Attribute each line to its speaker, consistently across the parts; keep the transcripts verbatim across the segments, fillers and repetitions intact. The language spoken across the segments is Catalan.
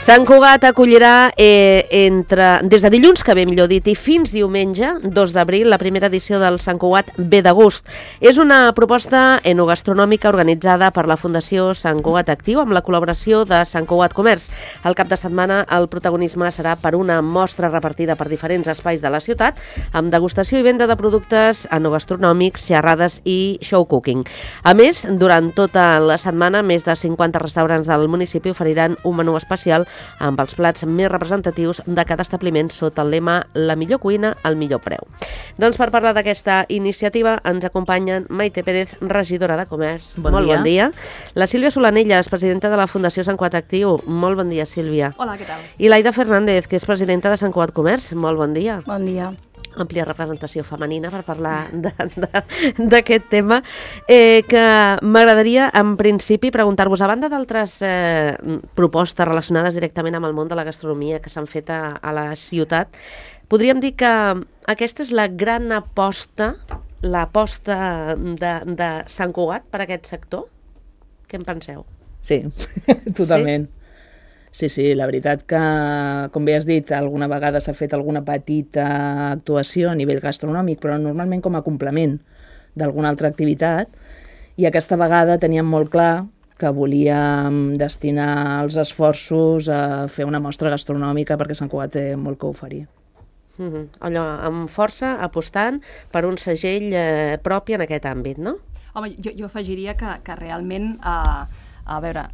Speaker 1: Sant Cugat acollirà eh, entre, des de dilluns que ve, millor dit, i fins diumenge, dos d'abril, la primera edició del Sant Cugat Ve de Gust. És una proposta enogastronòmica organitzada per la Fundació Sant Cugat Actiu amb la col·laboració de Sant Cugat Comerç. El cap de setmana el protagonisme serà per una mostra repartida per diferents espais de la ciutat amb degustació i venda de productes enogastronòmics, xerrades i show cooking. A més, durant tota la setmana, més de cinquanta restaurants del municipi oferiran un menú especial amb els plats més representatius de cada establiment sota el lema La millor cuina al millor preu. Doncs per parlar d'aquesta iniciativa ens acompanyen Maite Pérez, regidora de Comerç.
Speaker 2: Bon
Speaker 1: Molt
Speaker 2: dia.
Speaker 1: bon dia. La Sílvia Solanelles, presidenta de la Fundació Sant Cugat Actiu. Molt bon dia, Sílvia.
Speaker 3: Hola, què tal?
Speaker 1: I l'Aida Fernández, que és presidenta de Sant Cugat Comerç. Molt bon dia.
Speaker 4: Bon dia.
Speaker 1: Àmplia representació femenina per parlar d'aquest tema, eh, que m'agradaria, en principi, preguntar-vos, a banda d'altres eh, propostes relacionades directament amb el món de la gastronomia que s'han fet a, a la ciutat, podríem dir que aquesta és la gran aposta, l'aposta de, de Sant Cugat per a aquest sector? Què en penseu?
Speaker 2: Sí, totalment. Sí, sí, la veritat que, com bé has dit, alguna vegada s'ha fet alguna petita actuació a nivell gastronòmic, però normalment com a complement d'alguna altra activitat, i aquesta vegada teníem molt clar que volíem destinar els esforços a fer una mostra gastronòmica perquè Sant Cugat té molt que oferir.
Speaker 1: Mm-hmm. Allò, amb força, apostant per un segell eh, propi en aquest àmbit, no?
Speaker 3: Home, jo, jo afegiria que, que realment, a, a veure,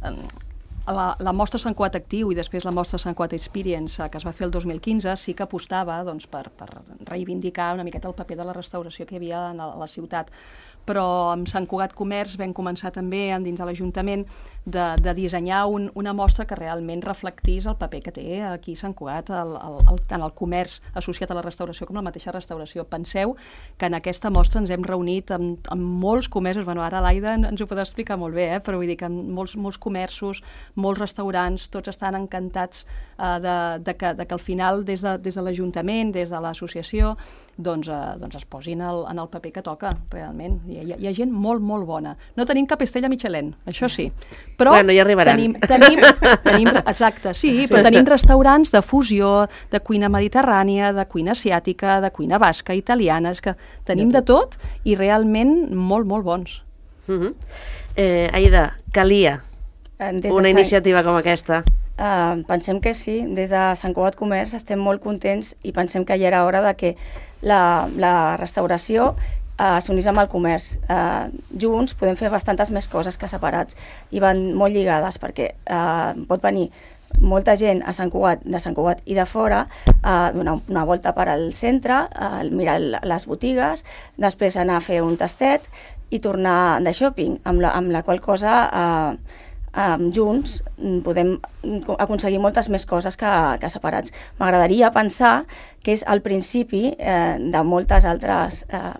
Speaker 3: la, la mostra Sant Cugat Actiu i després la mostra Sant Cugat Experience, que es va fer el dos mil quinze, sí que apostava doncs, per, per reivindicar una miqueta el paper de la restauració que hi havia a la ciutat. Però amb Sant Cugat Comerç vam començar també dins de l'Ajuntament de, de dissenyar un, una mostra que realment reflectís el paper que té aquí Sant Cugat, el, el, el, tant el comerç associat a la restauració com la mateixa restauració. Penseu que en aquesta mostra ens hem reunit amb, amb molts comerços, bueno, ara l'Aida ens ho podrà explicar molt bé, eh? Però vull dir que molts, molts comerços, molts restaurants, tots estan encantats eh, de, de, que, de que al final des de, des de l'Ajuntament, des de l'associació, doncs, eh, doncs es posin el, en el paper que toca, realment. Hi ha, hi ha gent molt, molt bona. No tenim cap estrella Michelin, això sí. Però
Speaker 1: bueno, ja arribaran.
Speaker 3: Tenim, tenim, tenim, exacte, sí, però tenim restaurants de fusió, de cuina mediterrània, de cuina asiàtica, de cuina basca, italiana, és que tenim de tot i realment molt, molt bons.
Speaker 1: Uh-huh. eh, Aida, calia
Speaker 4: Des
Speaker 1: una
Speaker 4: Sant...
Speaker 1: iniciativa com aquesta?
Speaker 4: Uh, pensem que sí. Des de Sant Cugat Comerç estem molt contents i pensem que ja era hora de que la, la restauració uh, s'unís amb el comerç. Uh, junts podem fer bastantes més coses que separats i van molt lligades perquè uh, pot venir molta gent a Sant Cugat, de Sant Cugat i de fora, uh, donar una volta per al centre, uh, mirar les botigues, després anar a fer un tastet i tornar de shopping, amb la, amb la qual cosa uh, Um, junts podem aconseguir moltes més coses que, que separats. M'agradaria pensar que és el principi eh, de moltes altres eh,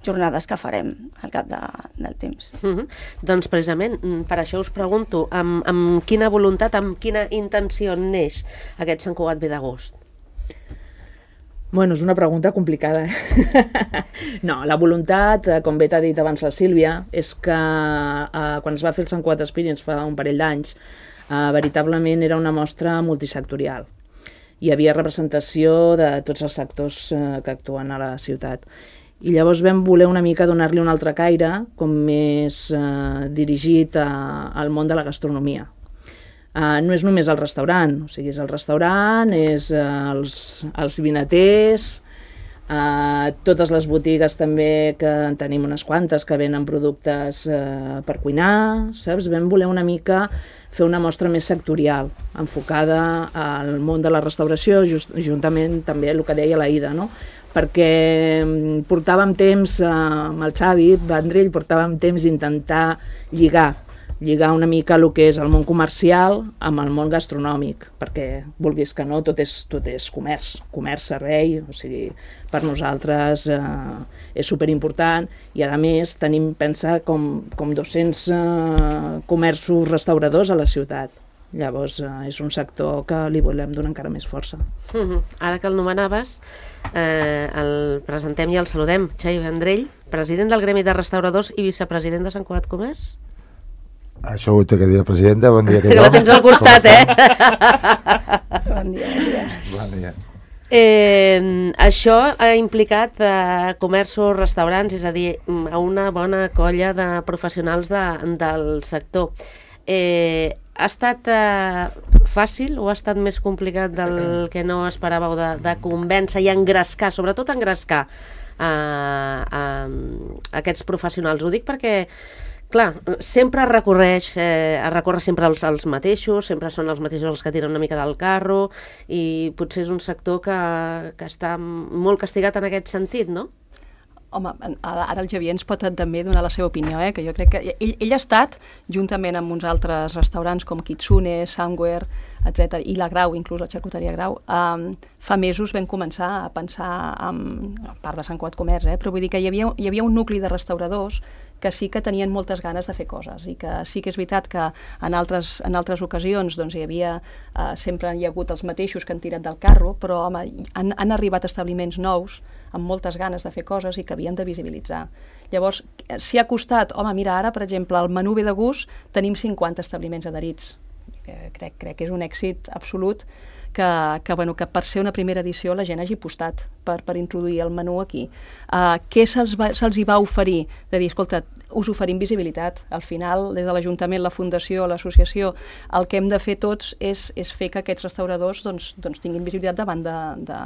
Speaker 4: jornades que farem al cap de, del temps.
Speaker 1: Uh-huh. Doncs precisament per això us pregunto amb, amb quina voluntat, amb quina intenció neix aquest Sant Cugat Ve de Gust?
Speaker 2: Bueno, és una pregunta complicada. No, la voluntat, com bé t'ha dit abans la Sílvia, és que eh, quan es va fer el Sant Cugat Experience fa un parell d'anys, eh, veritablement era una mostra multisectorial. Hi havia representació de tots els sectors eh, que actuen a la ciutat. I llavors vam voler una mica donar-li un altre caire, com més eh, dirigit a, al món de la gastronomia. Uh, no és només el restaurant, o sigui, és el restaurant, és uh, els, els vinaters, uh, totes les botigues també, que en tenim unes quantes, que venen productes uh, per cuinar, saps? Vam voler una mica fer una mostra més sectorial, enfocada al món de la restauració, just, juntament també el que deia l'Aida, no? Perquè portàvem temps, uh, amb el Xavi Vendrell, portàvem temps intentar lligar lligar una mica el que és el món comercial amb el món gastronòmic, perquè, vulguis que no, tot és, tot és comerç, comerç, servei, o sigui, per nosaltres eh, és superimportant i, a més, tenim, pensa, com, com dos-cents eh, comerços restauradors a la ciutat. Llavors, eh, és un sector que li volem donar encara més força.
Speaker 1: Uh-huh. Ara que el nomenaves, eh, el presentem i el saludem. Xavi Vendrell, president del Gremi de Restauradors i vicepresident de Sant Cugat Comerç.
Speaker 5: Això ho té que dir la presidenta. Bon dia a tothom.
Speaker 1: Que la tens al costat, eh?
Speaker 4: Bon dia, bon dia.
Speaker 5: Bon dia.
Speaker 1: Eh, això ha implicat eh, comerços, restaurants, és a dir, a una bona colla de professionals de, del sector. Eh, ha estat eh, fàcil o ha estat més complicat del que no esperàveu de, de convèncer i engrescar, sobretot engrescar a, a, a aquests professionals? Ho dic perquè clar, sempre es recorreix, eh, es recorre sempre als, als mateixos, sempre són els mateixos els que tiren una mica del carro i potser és un sector que, que està molt castigat en aquest sentit, no?
Speaker 3: Home, ara el Xavier ens pot també donar la seva opinió, eh? Que jo crec que ell, ell ha estat, juntament amb uns altres restaurants com Kitsune, Somewhere, etcètera, i la Grau, inclús la xarcuteria Grau, um, fa mesos vam començar a pensar, en, a part de Sant Cugat Comerç, eh? Però vull dir que hi havia, hi havia un nucli de restauradors que sí que tenien moltes ganes de fer coses i que sí que és veritat que en altres, en altres ocasions doncs, hi havia, eh, sempre hi ha hagut els mateixos que han tirat del carro, però home, han, han arribat establiments nous amb moltes ganes de fer coses i que havien de visibilitzar. Llavors, si ha costat, home, mira, ara, per exemple, al menú ve de gust tenim cinquanta establiments adherits. Crec, crec que és un èxit absolut que, que, bueno, que per ser una primera edició la gent hagi apostat per, per introduir el menú aquí. Uh, què se'ls se hi va oferir? De dir, escolta, us oferim visibilitat. Al final, des de l'Ajuntament, la Fundació, l'associació, el que hem de fer tots és, és fer que aquests restauradors doncs, doncs tinguin visibilitat davant de, de,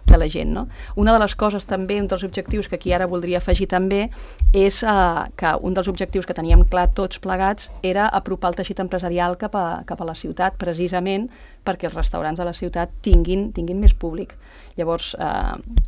Speaker 3: de la gent. No? Una de les coses també, un dels objectius que aquí ara voldria afegir també, és uh, que un dels objectius que teníem clar tots plegats era apropar el teixit empresarial cap a, cap a la ciutat, precisament perquè els restaurants de la ciutat tinguin, tinguin més públic. Llavors, eh,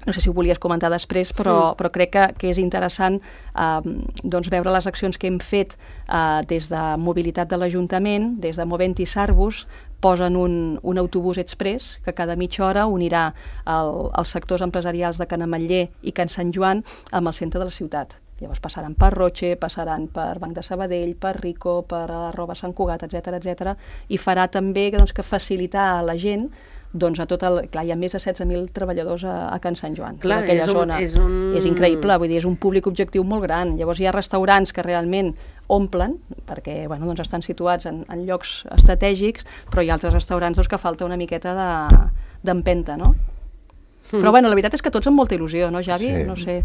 Speaker 3: no sé si ho volies comentar després, però, sí. però crec que, que és interessant eh, doncs veure les accions que hem fet eh, des de mobilitat de l'Ajuntament, des de Movent i Sarbus, posen un, un autobús express que cada mitja hora unirà el, els sectors empresarials de Can Ametller i Can Sant Joan amb el centre de la ciutat. Llavors passaran per Roche, passaran per Banc de Sabadell, per Rico, per arroba Sant Cugat, etcètera, etcètera, i farà també doncs, que facilitar a la gent doncs a tot el... Clar, hi ha més de setze mil treballadors a, a Can Sant Joan.
Speaker 1: Clar,
Speaker 3: aquella
Speaker 1: és un,
Speaker 3: zona.
Speaker 1: És, un...
Speaker 3: és increïble, vull dir, és un públic objectiu molt gran. Llavors hi ha restaurants que realment omplen, perquè bueno, doncs estan situats en, en llocs estratègics, però hi ha altres restaurants doncs, que falta una miqueta d'empenta, no? Mm. Però bueno, la veritat és que tots amb molta il·lusió, no, Javi?
Speaker 5: Sí.
Speaker 3: No sé...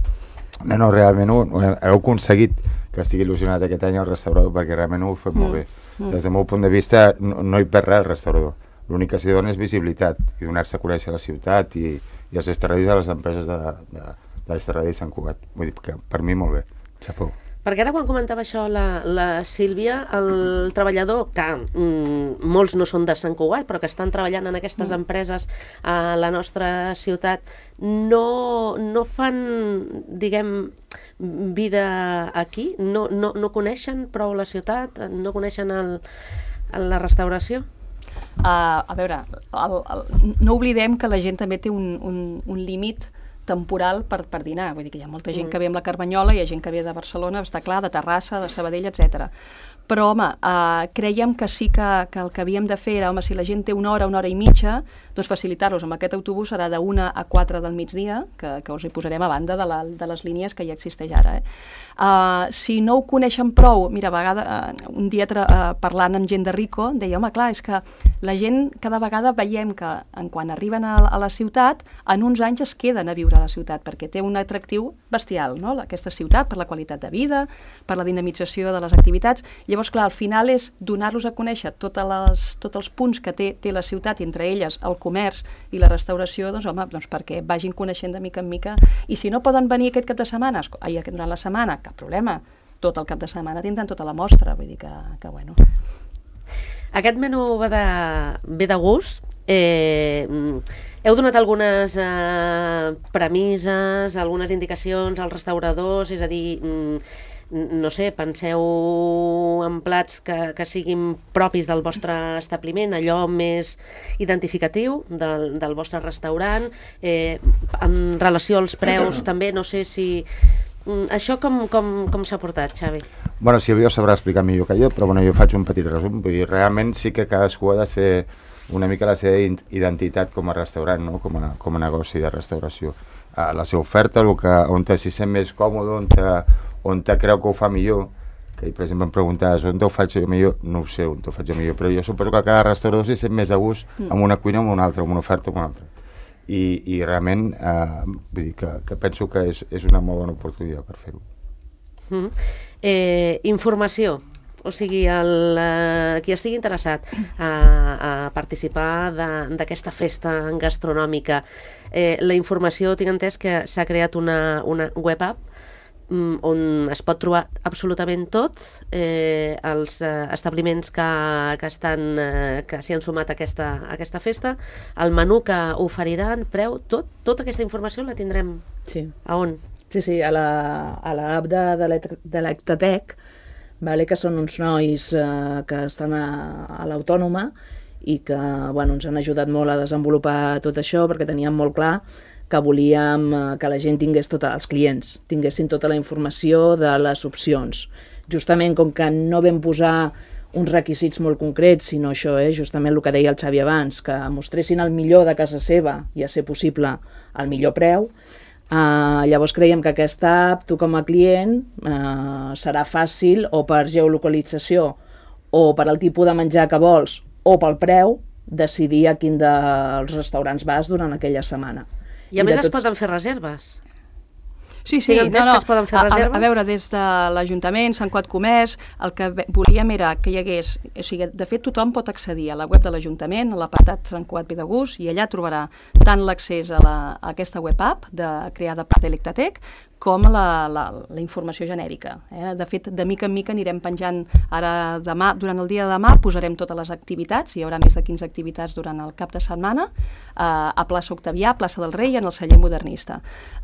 Speaker 5: No, no, realment ho, ho heu aconseguit que estigui il·lusionat aquest any el restaurador, perquè realment ho heu fet mm. molt bé. Mm. Des del meu punt de vista no, no hi perd res el restaurador. L'únic que s'hi dona és visibilitat i donar-se a conèixer la ciutat i, i els estradis de les empreses de, de, de l'estradí de Sant Cugat. Vull dir que per mi molt bé. Xapó.
Speaker 1: Perquè ara quan comentava això la, la Sílvia, el treballador, que mm, molts no són de Sant Cugat, però que estan treballant en aquestes mm. empreses a la nostra ciutat, no, no fan, diguem, vida aquí? No, no, no coneixen prou la ciutat? No coneixen el, la restauració?
Speaker 3: Uh, a veure, el, el, no oblidem que la gent també té un, un, un límit temporal per, per dinar, vull dir que hi ha molta gent mm. que ve amb la Carmanyola, hi ha gent que ve de Barcelona, està clar, de Terrassa, de Sabadell, etcètera. Però, home, eh, creiem que sí que, que el que havíem de fer era, home, si la gent té una hora, una hora i mitja, doncs facilitar-los amb aquest autobús serà d'una a quatre del migdia, que, que us hi posarem a banda de, la, de les línies que ja existeix ara. Eh? Uh, si no ho coneixen prou, mira, a vegada, uh, un dia uh, parlant amb gent de Rico, deia, home, clar, és que la gent cada vegada veiem que en quan arriben a, a la ciutat, en uns anys es queden a viure a la ciutat, perquè té un atractiu bestial, no?, aquesta ciutat, per la qualitat de vida, per la dinamització de les activitats. Llavors, clar, al final és donar-los a conèixer totes les, tots els punts que té, té la ciutat, entre elles el comerç i la restauració, doncs, home, doncs perquè vagin coneixent de mica en mica, i si no poden venir aquest cap de setmana, ai, durant la setmana, cap problema, tot el cap de setmana tindran tota la mostra, vull dir que, que bueno.
Speaker 1: Aquest menú ve de, ve de gust. Eh, heu donat algunes eh, premisses, algunes indicacions als restauradors, és a dir, no sé, penseu en plats que, que siguin propis del vostre establiment, allò més identificatiu del, del vostre restaurant, eh, en relació als preus també, no sé si... Això com, com, com s'ha portat, Xavi?
Speaker 5: Bueno, si ho sabrà explicar millor que jo, però bueno, jo faig un petit resum. Vull dir, realment sí que cadascú ha de fer una mica la seva identitat com a restaurant, no? com, a, com a negoci de restauració. Uh, la seva oferta, el que, on te s'hi sent més còmode, on te, on te creu que ho fa millor, que per exemple em preguntaves on ho faig jo millor, no ho sé on ho faig jo millor, però jo suposo que cada restaurador s'hi sent més a gust amb una cuina o amb una altra, amb una oferta o amb una altra. I, i realment eh, vull dir que, que penso que és, és una molt bona oportunitat per fer-ho.
Speaker 1: Mm. Eh, informació, o sigui, el, eh, qui estigui interessat a, a participar d'aquesta festa gastronòmica, eh, la informació, tinc entès que s'ha creat una, una web app on es pot trobar absolutament tot, eh, els eh, establiments que, que, estan, eh, que s'hi han sumat a aquesta, a aquesta festa, el menú que oferiran, preu, tot, tota aquesta informació la tindrem
Speaker 2: sí.
Speaker 1: a on?
Speaker 2: Sí, sí, a la, a l'app de, de l'Ectatec, vale, que són uns nois eh, que estan a, a l'Autònoma i que bueno, ens han ajudat molt a desenvolupar tot això perquè teníem molt clar que volíem que la gent tingués tota, els clients, tinguessin tota la informació de les opcions. Justament com que no vam posar uns requisits molt concrets, sinó això, eh, justament el que deia el Xavi abans, que mostressin el millor de casa seva i, a ser possible, el millor preu. Uh, llavors creiem que aquesta app, tu com a client, uh, serà fàcil o per geolocalització o per al tipus de menjar que vols o pel preu, decidir a quin dels restaurants vas durant aquella setmana.
Speaker 1: I a més
Speaker 2: tots...
Speaker 1: es poden fer reserves.
Speaker 3: Sí, sí, no, no.
Speaker 1: Que es poden fer
Speaker 3: a,
Speaker 1: reserves?
Speaker 3: A, a veure, des de l'Ajuntament, Sant Cugat Comerç, el que volíem era que hi hagués... O sigui, de fet, tothom pot accedir a la web de l'Ajuntament, a l'apartat Sant Cugat Ve de Gust, i allà trobarà tant l'accés a, la, a aquesta web app de, creada per Delectatec, com la, la, la informació genèrica. Eh? De fet, de mica en mica anirem penjant ara demà, durant el dia de demà posarem totes les activitats, hi haurà més de quinze activitats durant el cap de setmana, eh, a plaça Octavià, plaça del Rei, en el celler modernista.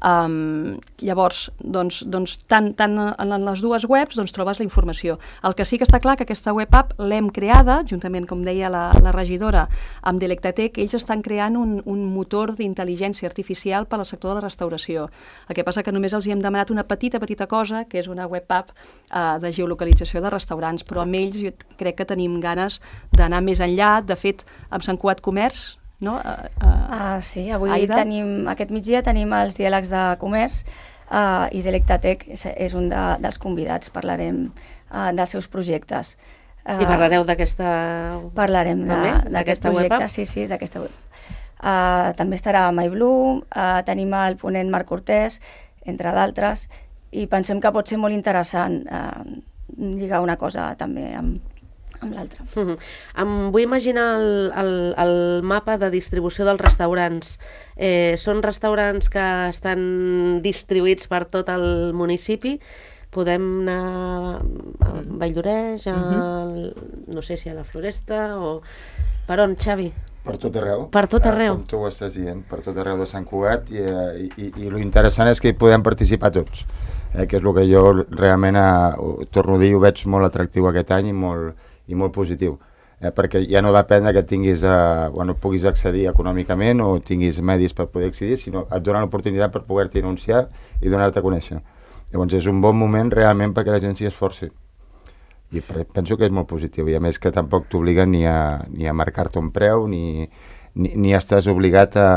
Speaker 3: Um, llavors, doncs, doncs tant, tant en les dues webs doncs, trobes la informació. El que sí que està clar que aquesta web app l'hem creada, juntament, com deia la, la regidora, amb Delectatec, ells estan creant un, un motor d'intel·ligència artificial per al sector de la restauració. El que passa que només els hi hem demanat una petita, petita cosa, que és una web app uh, de geolocalització de restaurants, però amb ells jo crec que tenim ganes d'anar més enllà. De fet, amb Sant Cugat Comerç, no? Uh, uh,
Speaker 4: ah, sí, avui
Speaker 3: Aida?
Speaker 4: tenim, aquest migdia tenim els diàlegs de comerç uh, i Delectatec és, és un de, dels convidats, parlarem uh, dels seus projectes. Uh,
Speaker 1: I parlareu d'aquesta...
Speaker 4: Parlarem d'aquest projecte, sí, sí, d'aquesta web. Uh, també estarà MyBlue, uh, tenim el ponent Marc Cortés, entre d'altres, i pensem que pot ser molt interessant eh, lligar una cosa també amb, amb l'altra.
Speaker 1: Mm-hmm. Em vull imaginar el, el, el mapa de distribució dels restaurants. Eh, són restaurants que estan distribuïts per tot el municipi. Podem anar a Valldoreix, a, mm-hmm. no sé si a la Floresta, o... Per on, Xavi?
Speaker 5: Per tot arreu.
Speaker 1: Per tot arreu.
Speaker 5: Com tu ho estàs dient, per tot arreu de Sant Cugat, i, i, i, i lo interessant és que hi podem participar tots, eh, que és el que jo realment, eh, torno a dir, ho veig molt atractiu aquest any i molt, i molt positiu, eh, perquè ja no depèn que tinguis, eh, bueno, puguis accedir econòmicament o tinguis medis per poder accedir, sinó et donen l'oportunitat per poder-t'hi anunciar i donar-te a conèixer. Llavors és un bon moment realment perquè la gent s'hi esforci. I penso que és molt positiu, i a més que tampoc t'obliguen ni a, ni a marcar-te un preu, ni, ni, ni estàs obligat a,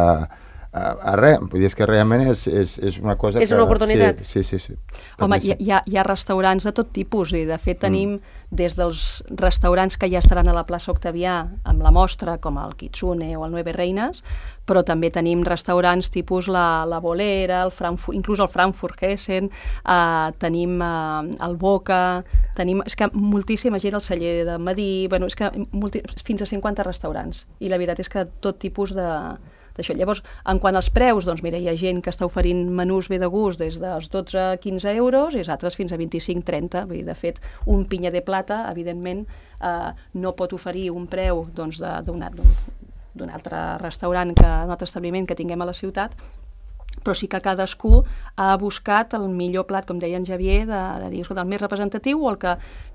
Speaker 5: a, a res. Vull dir, és que realment és, és, és una cosa
Speaker 1: és
Speaker 5: que...
Speaker 1: una oportunitat.
Speaker 5: Sí, sí, sí. sí.
Speaker 3: Home, hi, hi, ha, hi ha restaurants de tot tipus, i de fet tenim mm. des dels restaurants que ja estaran a la plaça Octavià amb la mostra, com el Kitsune o el Nueve Reines, però també tenim restaurants tipus la, la Bolera, el Frankfurt, inclús el Frankfurt Hessen, eh, tenim eh, el Boca, tenim, és que moltíssima gent al celler de Madí, bueno, és que multi, fins a cinquanta restaurants, i la veritat és que tot tipus de d'això. Llavors, en quant als preus, doncs mira, hi ha gent que està oferint menús Ve de Gust des dels dotze a quinze euros i altres fins a vint-i-cinc a trenta. Vull dir, de fet, un pinya de plata, evidentment, eh, no pot oferir un preu doncs, d'un d'un altre restaurant, que, un altre establiment que tinguem a la ciutat, però sí que cadascú ha buscat el millor plat, com deia en Javier, de, de dir, escolta, el més representatiu o el que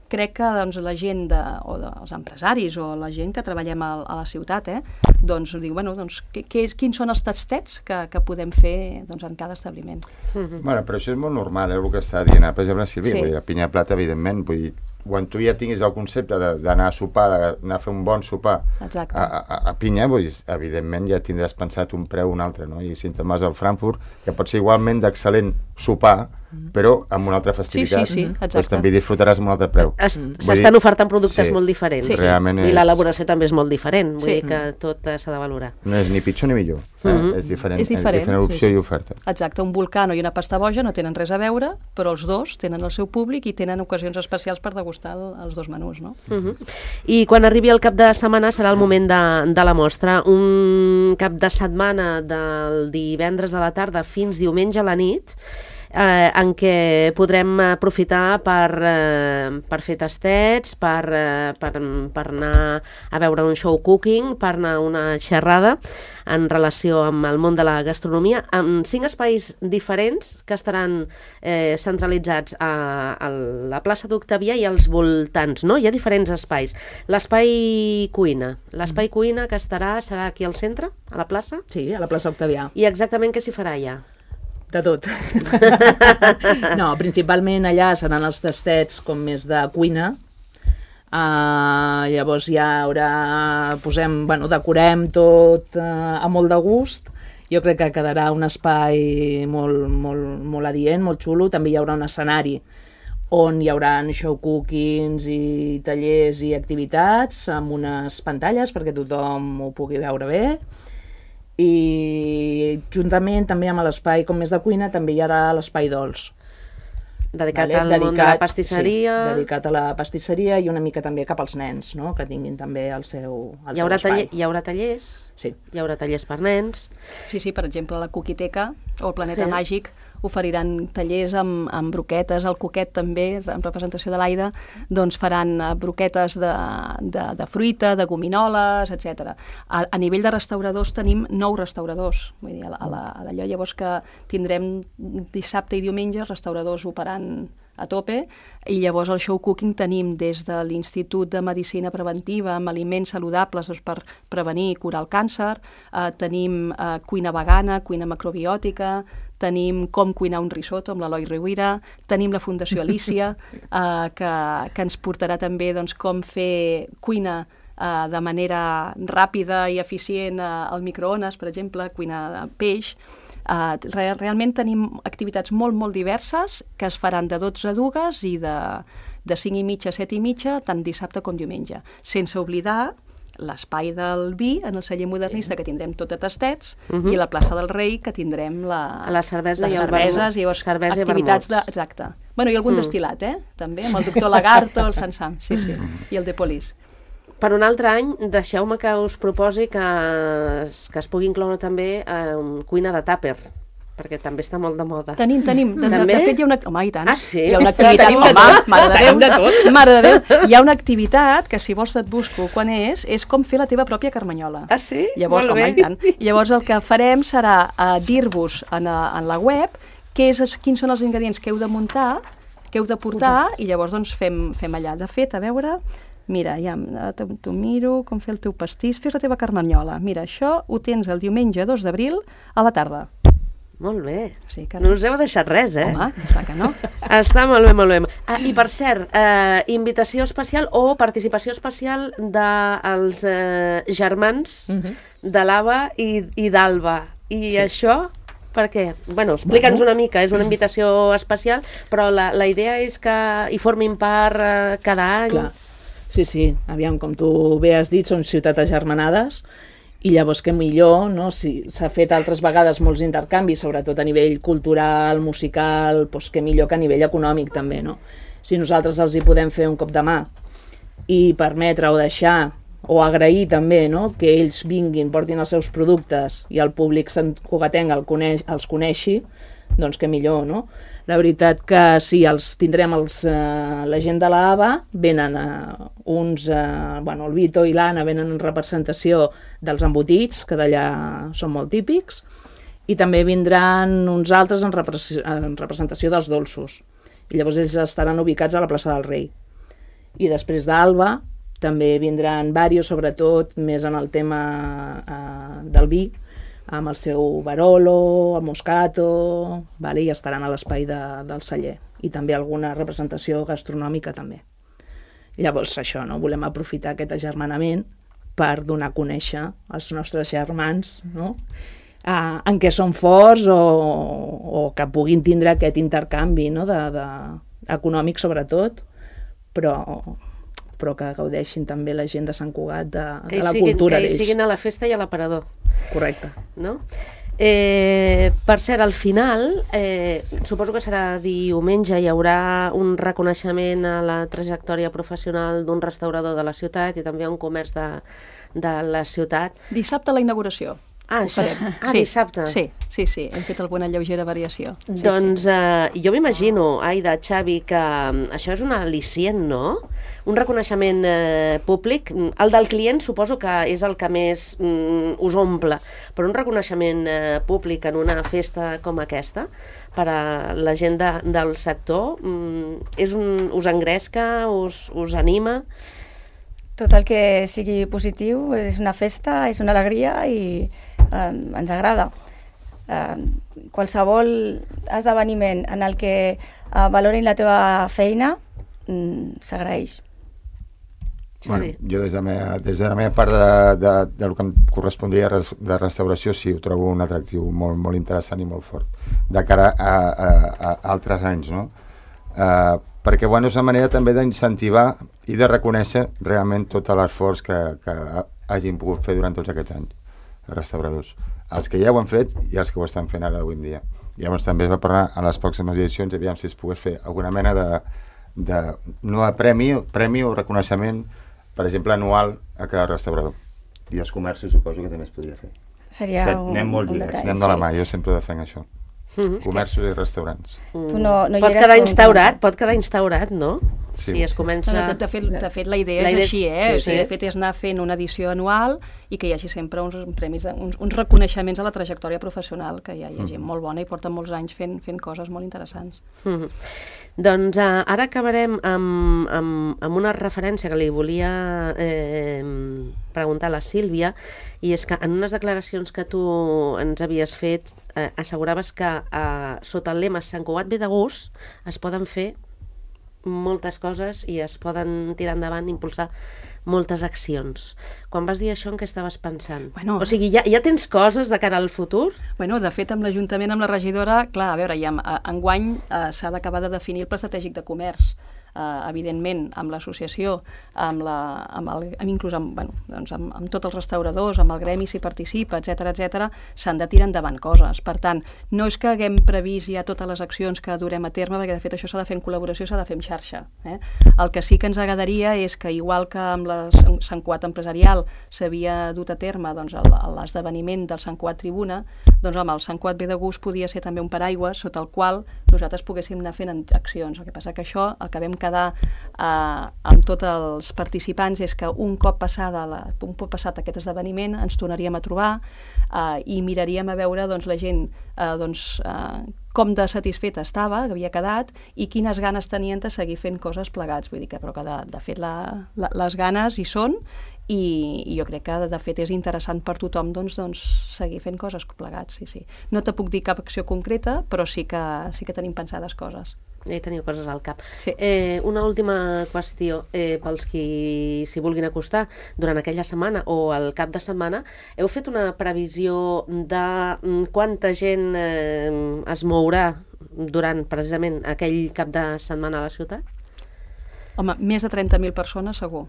Speaker 3: crec que doncs, la gent, de, o de, els empresaris o la gent que treballem a, a la ciutat, eh, doncs diu, bueno, doncs, que, que és, quins són els tastets que, que podem fer doncs, en cada establiment.
Speaker 1: Mm-hmm.
Speaker 5: Bueno, però això és molt normal, eh, el que està dient, per exemple, Sílvia,
Speaker 3: Sí.
Speaker 5: vull dir, la pinya de plata, evidentment, vull dir, quan tu ja tinguis el concepte d'anar a sopar, d'anar a fer un bon sopar
Speaker 3: Exacte.
Speaker 5: a, a, a pinya, vull dir, evidentment ja tindràs pensat un preu o un altre, no? I si te'n vas al Frankfurt, que pot ser igualment d'excel·lent sopar, però amb una altra festivitat.
Speaker 3: Sí, sí, sí, exacte.
Speaker 5: Doncs també disfrutaràs amb un altre preu.
Speaker 1: S'estan ofertant productes
Speaker 5: sí,
Speaker 1: molt diferents.
Speaker 5: sí. Realment és...
Speaker 1: I l'elaboració també és molt diferent, vull
Speaker 3: Sí.
Speaker 1: dir que tot eh, s'ha de valorar.
Speaker 5: No és ni pitjor ni millor, eh?
Speaker 1: Mhm.
Speaker 5: és diferent,
Speaker 3: És diferent,
Speaker 5: diferent opció
Speaker 3: sí.
Speaker 5: i oferta.
Speaker 3: Exacte, un Vulcano i una pasta boja no tenen res a veure, però els dos tenen el seu públic i tenen ocasions especials per degustar el, els dos menús, no?
Speaker 1: Uh -huh. I quan arribi el cap de setmana serà el moment de, de la mostra. Un cap de setmana del divendres a la tarda fins diumenge a la nit, eh, en què podrem aprofitar per, eh, per fer tastets, per, eh, per, per anar a veure un show cooking, per anar a una xerrada en relació amb el món de la gastronomia, amb cinc espais diferents que estaran eh, centralitzats a, a la plaça d'Octavià i als voltants, no? Hi ha diferents espais. L'espai cuina, l'espai cuina que estarà, serà aquí al centre, a la plaça?
Speaker 2: Sí, a la plaça Octavià.
Speaker 1: I exactament què s'hi farà allà?
Speaker 2: De tot. No, principalment allà seran els tastets com més de cuina. Uh, llavors ja haurà, posem, bueno, decorem tot uh, a molt de gust. Jo crec que quedarà un espai molt, molt, molt adient, molt xulo. També hi haurà un escenari on hi haurà show cookings i tallers i activitats amb unes pantalles perquè tothom ho pugui veure bé. I juntament també amb l'espai com més de cuina també hi haurà l'espai dolç.
Speaker 1: Dedicat
Speaker 2: vale?
Speaker 1: al
Speaker 2: dedicat,
Speaker 1: món de la pastisseria.
Speaker 2: Sí, dedicat a la pastisseria i una mica també cap als nens, no? Que tinguin també el seu, el
Speaker 1: Hi haurà,
Speaker 2: seu espai.
Speaker 1: taller, hi haurà tallers,
Speaker 2: Sí.
Speaker 1: hi haurà tallers per nens.
Speaker 3: Sí, sí, per exemple, la Coquiteca o el Planeta
Speaker 1: Sí.
Speaker 3: Màgic oferiran tallers amb, amb broquetes, el Coquet també, en representació de l'Aida, doncs faran eh, broquetes de, de, de fruita, de gominoles, etcètera. A, a nivell de restauradors tenim nou restauradors, vull dir, a, la, a, la, a d'allò llavors que tindrem dissabte i diumenge restauradors operant a tope, i llavors el show cooking tenim des de l'Institut de Medicina Preventiva amb aliments saludables doncs, per prevenir i curar el càncer, eh, tenim eh, cuina vegana, cuina macrobiòtica, tenim com cuinar un risotto amb l'Eloi Riuira, tenim la Fundació Alicia, eh, que, que ens portarà també doncs, com fer cuina eh, de manera ràpida i eficient eh, al microones, per exemple, cuina de peix. Uh, re realment tenim activitats molt, molt diverses que es faran de dotze a dues i de, de cinc i mitja a set i mitja, tant dissabte com diumenge. Sense oblidar l'espai del vi en el celler modernista, que tindrem tot de tastets,
Speaker 1: Uh -huh.
Speaker 3: i la plaça del Rei, que tindrem la,
Speaker 1: La cervesa
Speaker 3: les
Speaker 1: i el
Speaker 3: cerveses
Speaker 1: vermut.
Speaker 3: i llavors
Speaker 1: Cervesa i
Speaker 3: activitats de...
Speaker 1: vermuts.
Speaker 3: Exacte. Bueno, i algun
Speaker 1: Mm.
Speaker 3: destil·lat, eh? També, amb el doctor Lagarto, el Sant Sam, sí, sí, i el de Polis.
Speaker 1: Per un altre any, deixeu-me que us proposi que es, que es pugui incloure també eh, cuina de tàper, perquè també està molt de moda.
Speaker 3: Tenim, tenim. De, de,
Speaker 1: També?
Speaker 3: de fet, hi ha una... Home, i tant.
Speaker 1: Ah, sí?
Speaker 3: Hi ha una
Speaker 1: Ostres,
Speaker 3: activitat...
Speaker 1: tenim de
Speaker 3: Home,
Speaker 1: tot.
Speaker 3: mare de
Speaker 2: Tenim
Speaker 3: Déu,
Speaker 2: de tot.
Speaker 3: mare de Déu. Hi ha una activitat que, si vols, et busco quan és, és com fer la teva pròpia carmanyola.
Speaker 1: Ah, sí?
Speaker 3: Llavors,
Speaker 1: Molt
Speaker 3: home,
Speaker 1: bé.
Speaker 3: i tant. Llavors, el que farem serà uh, dir-vos en, a, en la web què és, quins són els ingredients que heu de muntar, que heu de portar, i llavors doncs, fem, fem allà. De fet, a veure... Mira, ja t'ho miro, com fer el teu pastís, fes la teva carmanyola. Mira, això ho tens el diumenge dos d'abril a la tarda.
Speaker 1: Molt bé.
Speaker 3: Sí, que
Speaker 1: No us heu deixat res, eh?
Speaker 3: Home, clar que no.
Speaker 1: Està molt bé, molt bé. Ah, i per cert, eh, invitació especial o participació especial dels eh, germans
Speaker 2: Uh -huh.
Speaker 1: de l'Ava i, i d'Alba. I
Speaker 2: Sí.
Speaker 1: això... Per què? Bueno, explica'ns una mica, és una invitació especial, però la, la idea és que hi formin part eh, cada any.
Speaker 2: Clar. Sí, sí, aviam, com tu bé has dit, són ciutats agermanades, i llavors que millor, no? Si s'ha fet altres vegades molts intercanvis, sobretot a nivell cultural, musical, doncs que millor que a nivell econòmic també, no? Si nosaltres els hi podem fer un cop de mà i permetre o deixar o agrair també, no? Que ells vinguin, portin els seus productes i el públic santcugatenc el coneix, els coneixi, doncs que millor, no? La veritat que sí, els tindrem els, eh, la gent de l'Ava, venen eh, uns, eh, bueno, el Vito i l'Anna venen en representació dels embotits, que d'allà són molt típics, i també vindran uns altres en, repres en representació dels dolços. I llavors ells estaran ubicats a la plaça del Rei. I després d'Alba també vindran varios, sobretot més en el tema eh, del vi, amb el seu Barolo, el Moscato, vale? I estaran a l'espai de, del celler. I també alguna representació gastronòmica també. Llavors això, no? Volem aprofitar aquest agermanament per donar a conèixer als nostres germans, no? uh, en què són forts o, o que puguin tindre aquest intercanvi, no? de, de, econòmic sobretot, però, però que gaudeixin també la gent de Sant Cugat de,
Speaker 1: que
Speaker 2: de la
Speaker 1: siguin,
Speaker 2: cultura
Speaker 1: d'ells.
Speaker 2: d'ells.
Speaker 1: Que hi siguin a la festa i a l'aparador.
Speaker 2: Correcte.
Speaker 1: No? Eh, per cert, al final, eh, suposo que serà diumenge, hi haurà un reconeixement a la trajectòria professional d'un restaurador de la ciutat i també a un comerç de, de la ciutat.
Speaker 3: Dissabte la inauguració.
Speaker 1: Ah, això, ah
Speaker 3: sí,
Speaker 1: dissabte.
Speaker 3: Sí, sí, sí, hem fet alguna lleugera variació. Sí,
Speaker 1: doncs
Speaker 3: sí.
Speaker 1: Eh, jo m'imagino, Aida, Xavi, que això és un al·licient, no? Un reconeixement eh, públic. El del client suposo que és el que més mm, us omple, però un reconeixement eh, públic en una festa com aquesta, per a la gent de, del sector, mm, és un, us engresca, us, us anima?
Speaker 4: Tot el que sigui positiu és una festa, és una alegria i eh, ens agrada. Eh, qualsevol esdeveniment en el que eh, valorin la teva feina mm, s'agraeix.
Speaker 5: Bueno, jo des de, la meva, des de la meva part de, de, del que em correspondria de restauració sí, ho trobo un atractiu molt, molt interessant i molt fort de cara a, a, a altres anys, no? Uh, perquè bueno, és una manera també d'incentivar i de reconèixer realment tot l'esforç que, que hagin pogut fer durant tots aquests anys els restauradors, els que ja ho han fet i els que ho estan fent ara avui en dia. Llavors també es va parlar a les pròximes edicions, aviam si es pogués fer alguna mena de, de no de premi, premi o reconeixement, per exemple, anual a cada restaurador. I els comerços suposo que també es podria fer.
Speaker 4: Seria
Speaker 5: que
Speaker 4: un,
Speaker 5: anem molt
Speaker 4: un
Speaker 5: lligats,
Speaker 4: detall,
Speaker 5: anem de la
Speaker 4: sí.
Speaker 5: mà, jo sempre defenc això. Mm-hmm. Comerços i restaurants.
Speaker 1: Mm.
Speaker 4: Tu no, no hi
Speaker 1: pot
Speaker 4: eres,
Speaker 1: quedar
Speaker 4: però-
Speaker 1: instaurat, pot quedar instaurat, no?
Speaker 5: Sí.
Speaker 1: Si es comença...
Speaker 3: No, de, de, fet, de fet, la idea
Speaker 1: La idea
Speaker 3: és així, eh?
Speaker 1: sí,
Speaker 3: O sigui,
Speaker 1: sí.
Speaker 3: de fet, és anar fent una edició anual i que hi hagi sempre uns premis, uns, uns reconeixements a la trajectòria professional, que hi ha, hi ha gent molt bona i porta molts anys fent, fent coses molt interessants.
Speaker 1: Mm. Doncs uh, ara acabarem amb, amb, amb una referència que li volia eh, preguntar a la Sílvia, i és que en unes declaracions que tu ens havies fet eh, asseguraves que eh, sota el lema Sant Cugat ve de gust es poden fer moltes coses i es poden tirar endavant, impulsar moltes accions. Quan vas dir això, en què estaves pensant?
Speaker 3: Bueno,
Speaker 1: o sigui, ja, ja tens coses de cara al futur?
Speaker 3: Bueno, de fet, amb l'Ajuntament, amb la regidora, clar, a veure, ja enguany eh, s'ha d'acabar de definir el pla estratègic de comerç. Uh, evidentment, amb l'associació, amb, la, amb, el, amb inclús amb, bueno, doncs amb, amb tots els restauradors, amb el gremi si participa, etcètera etcètera, s'han de tirar endavant coses. Per tant, no és que haguem previst ja totes les accions que durem a terme, perquè de fet això s'ha de fer en col·laboració, s'ha de fer en xarxa. Eh? El que sí que ens agradaria és que, igual que amb la Sant Cugat empresarial s'havia dut a terme doncs, l'esdeveniment del Sant Cugat Tribuna, doncs home, el Sant Cugat ve de gust podia ser també un paraigua sota el qual nosaltres poguéssim anar fent accions. El que passa que això, el que vam quedar eh, amb tots els participants és que un cop, passada la, un cop passat aquest esdeveniment ens tornaríem a trobar eh, i miraríem a veure doncs, la gent eh, doncs, eh, com de satisfeta estava, que havia quedat, i quines ganes tenien de seguir fent coses plegats. Vull dir que, però que de, de fet la, la, les ganes hi són, i, i jo crec que de fet és interessant per tothom doncs, doncs, seguir fent coses plegats. Sí, sí. No te puc dir cap acció concreta, però sí que, sí que tenim pensades coses.
Speaker 1: Ja hi teniu coses al cap.
Speaker 3: Sí.
Speaker 1: Eh, una última qüestió, eh, pels qui s'hi vulguin acostar, durant aquella setmana o el cap de setmana, heu fet una previsió de mm, quanta gent eh, es mourà durant precisament aquell cap de setmana a la ciutat?
Speaker 3: Home, més de trenta mil persones segur.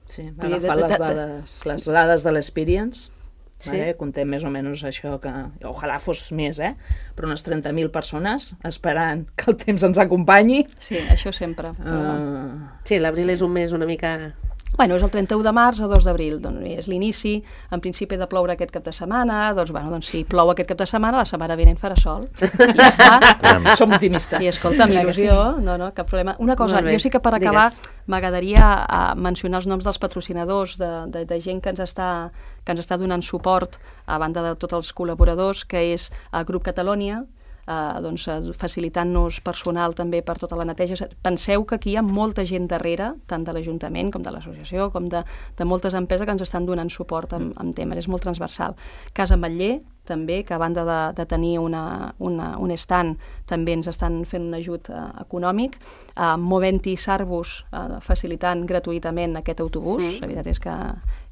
Speaker 2: Sí,
Speaker 3: Vull dir,
Speaker 2: agafar
Speaker 3: de- de-
Speaker 2: les
Speaker 3: de-
Speaker 2: dades, les dades de l'Experience,
Speaker 1: Sí.
Speaker 2: vale? Contem més o menys això que... Ojalà fos més, eh? Però unes trenta mil persones esperant que el temps ens acompanyi.
Speaker 3: Sí, això sempre. Però...
Speaker 2: Uh,
Speaker 1: Sí, l'abril és un mes una mica...
Speaker 3: Bueno, és el trenta-u de març a dos d'abril, doncs és l'inici, en principi ha de ploure aquest cap de setmana, doncs, bueno, doncs si plou aquest cap de setmana, la setmana vinent farà sol. I ja està.
Speaker 2: som optimistes.
Speaker 3: I escolta, amb il·lusió, no, no, cap problema. Una cosa,
Speaker 1: Molt bé,
Speaker 3: jo sí que per acabar
Speaker 1: digues.
Speaker 3: m'agradaria uh, mencionar els noms dels patrocinadors, de, de, de gent que ens, està, que ens està donant suport, a banda de tots els col·laboradors, que és el Grup Catalònia, Uh, doncs, uh, facilitant-nos personal també per tota la neteja. Penseu que aquí hi ha molta gent darrere, tant de l'Ajuntament com de l'associació, com de, de moltes empreses que ens estan donant suport amb, amb temes, és molt transversal. Casa Ametller, també, que a banda de, de tenir una, una, un stand, també ens estan fent un ajut uh, econòmic. Uh, Moventi Sarbus, uh, facilitant gratuïtament aquest autobús,
Speaker 1: Mm.
Speaker 3: la veritat és que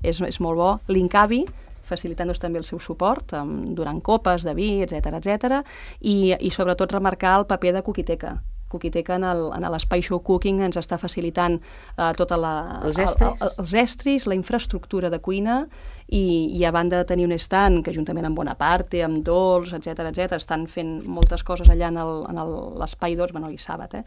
Speaker 3: és, és molt bo. L'Incavi, facilitant-nos també el seu suport um, durant copes de vi, etcètera, etcètera, i, i sobretot remarcar el paper de Cookiteca. Cookiteca en l'espai Show Cooking ens està facilitant uh, tota la,
Speaker 1: els, estris.
Speaker 3: El, el, els estris, la infraestructura de cuina i, i a banda de tenir un stand que juntament amb Bonaparte, amb Dolç, etcètera, etcètera, estan fent moltes coses allà en l'espai Dolç, bueno, i Sàbat, eh?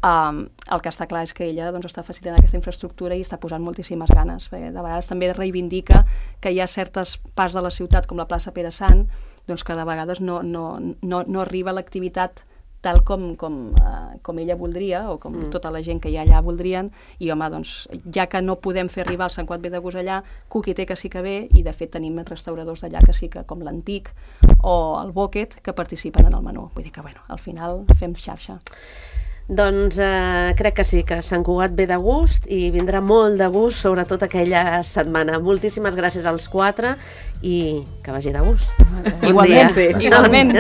Speaker 3: Um, el que està clar és que ella doncs, està facilitant aquesta infraestructura i està posant moltíssimes ganes. Perquè de vegades també reivindica que hi ha certes parts de la ciutat, com la plaça Pere Sant, doncs que de vegades no, no, no, no arriba l'activitat tal com, com, uh, com ella voldria, o com mm. tota la gent que hi ha allà voldrien, i home, doncs, ja que no podem fer arribar el Sant Cugat ve de Gust allà, Cookiteca sí que ve, i de fet tenim restauradors d'allà que sí que, com l'Antic o el Boquet, que participen en el menú. Vull dir que, bueno, al final fem xarxa.
Speaker 1: Doncs eh, crec que sí, que Sant Cugat ve de gust i vindrà molt de gust, sobretot aquella setmana. Moltíssimes gràcies als quatre i que vagi de gust.
Speaker 3: Igualment, sí. Igualment.